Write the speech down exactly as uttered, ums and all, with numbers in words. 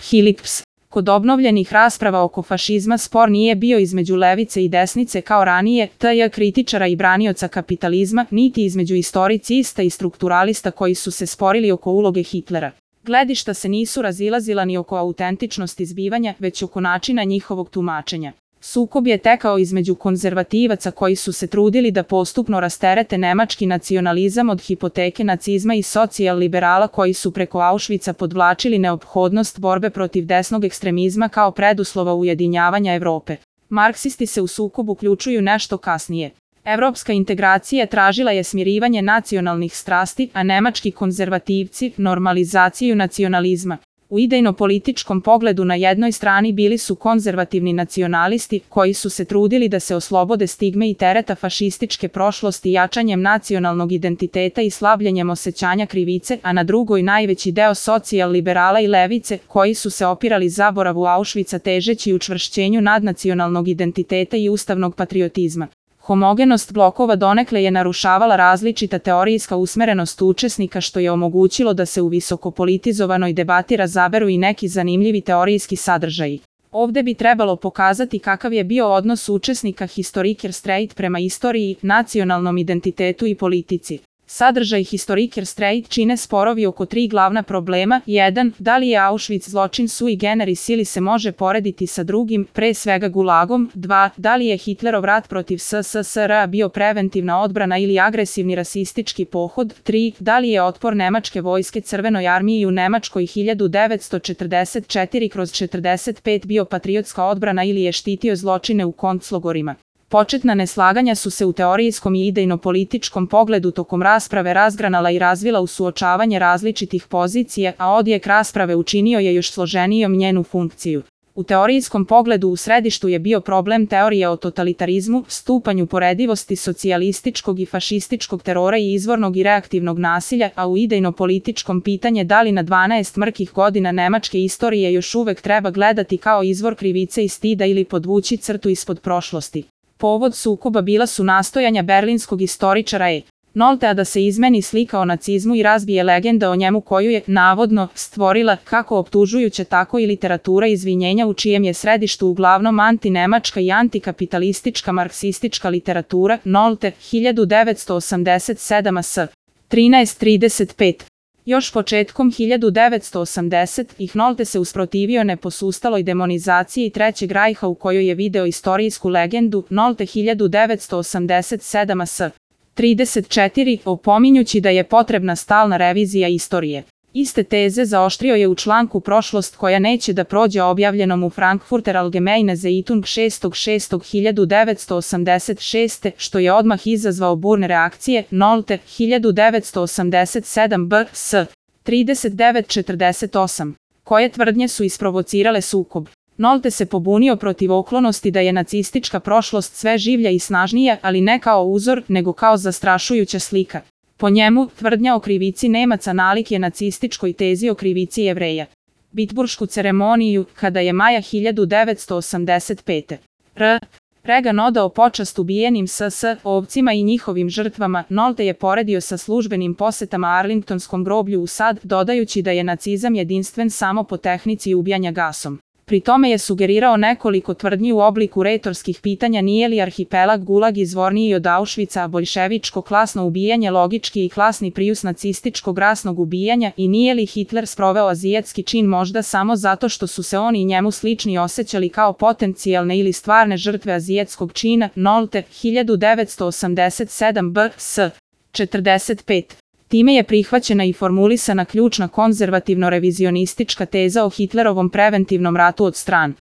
Philips. Kod obnovljenih rasprava oko fašizma spor nije bio između levice i desnice kao ranije, tj. kritičara i branioca kapitalizma, niti između istoricista i strukturalista koji su se sporili oko uloge Hitlera. Gledišta se nisu razilazila ni oko autentičnosti zbivanja, već oko načina njihovog tumačenja. Sukob je tekao između konzervativaca koji su se trudili da postupno rasterete nemački nacionalizam od hipoteke nacizma i socijal-liberala koji su preko Auschwitza podvlačili neophodnost borbe protiv desnog ekstremizma kao preduslova ujedinjavanja Evrope. Marksisti se u sukob uključuju nešto kasnije. Evropska integracija tražila je smirivanje nacionalnih strasti, a nemački konzervativci normalizaciju nacionalizma. U idejno-političkom pogledu na jednoj strani bili su konzervativni nacionalisti koji su se trudili da se oslobode stigme i tereta fašističke prošlosti jačanjem nacionalnog identiteta i slabljenjem osjećanja krivice, a na drugoj najveći deo socijal-liberala i levice koji su se opirali zaboravu Auschwitza težeći učvršćenju nadnacionalnog identiteta i ustavnog patriotizma. Homogenost blokova donekle je narušavala različita teorijska usmerenost učesnika što je omogućilo da se u visokopolitizovanoj debati razaberu i neki zanimljivi teorijski sadržaji. Ovde bi trebalo pokazati kakav je bio odnos učesnika Historiker Streit prema istoriji, nacionalnom identitetu i politici. Sadržaj Historiker Streit čine sporovi oko tri glavna problema. jedan. Da li je Auschwitz zločin sui generis ili se može porediti sa drugim, pre svega gulagom? dva. Da li je Hitlerov rat protiv S S S R bio preventivna odbrana ili agresivni rasistički pohod? tri. Da li je otpor nemačke vojske Crvenoj armiji u Nemačkoj hiljadu devetsto četrdeset četiri kroz četrdeset pet bio patriotska odbrana ili je štitio zločine u konclogorima? Početna neslaganja su se u teorijskom i idejno-političkom pogledu tokom rasprave razgranala i razvila u suočavanje različitih pozicija, a odjek rasprave učinio je još složenijom njenu funkciju. U teorijskom pogledu u središtu je bio problem teorije o totalitarizmu, stupanju poredivosti socijalističkog i fašističkog terora i izvornog i reaktivnog nasilja, a u idejno-političkom pitanje da li na dvanaest mrkih godina nemačke istorije još uvek treba gledati kao izvor krivice i stida ili podvući crtu ispod prošlosti. Povod sukoba bila su nastojanja berlinskog istoričara E. Noltea da se izmeni slika o nacizmu i razbije legenda o njemu koju je, navodno, stvorila kako optužujuća tako i literatura izvinjenja u čijem je središtu uglavnom antinemačka i antikapitalistička marksistička literatura. Nolte, hiljadu devetsto osamdeset sedam A S. trinaest trideset pet. Još početkom hiljadu devetsto osamdesetih Nolte se usprotivio neposustaloj demonizaciji Trećeg rajha u kojoj je video istorijsku legendu Nolte hiljadu devetsto osamdeset sedam A S. trideset četiri, opominjući da je potrebna stalna revizija istorije. Iste teze zaoštrio je u članku Prošlost koja neće da prođe objavljenom u Frankfurter Allgemeine Zeitung šestog šestog hiljadu devetsto osamdeset šeste, što je odmah izazvao burne reakcije. Nolte, hiljadu devetsto osamdeset sedam B S. trideset devet četrdeset osam. Koje tvrdnje su isprovocirale sukob? Nolte se pobunio protiv oklonosti da je nacistička prošlost sve življa i snažnija, ali ne kao uzor, nego kao zastrašujuća slika. Po njemu, tvrdnja o krivici Nemaca nalik je nacističkoj tezi o krivici Jevreja. Bitburšku ceremoniju, kada je maja hiljadu devetsto osamdeset pete. R. Reagan odao počast ubijenim S S ovcima i njihovim žrtvama. Nolte je poredio sa službenim posetama Arlingtonskom groblju u SAD, dodajući da je nacizam jedinstven samo po tehnici ubijanja gasom. Pri tome je sugerirao nekoliko tvrdnji u obliku retorskih pitanja nije li arhipelag Gulag izvorniji od Auschwitza, a boljševičko klasno ubijanje logički i klasni prijus nacističkog rasnog ubijanja i nije li Hitler sproveo azijatski čin možda samo zato što su se oni i njemu slični osjećali kao potencijalne ili stvarne žrtve azijatskog čina. Nolte, hiljadu devetsto osamdeset sedam B S. četrdeset pet. Time je prihvaćena i formulisana ključna konzervativno-revizionistička teza o Hitlerovom preventivnom ratu od stran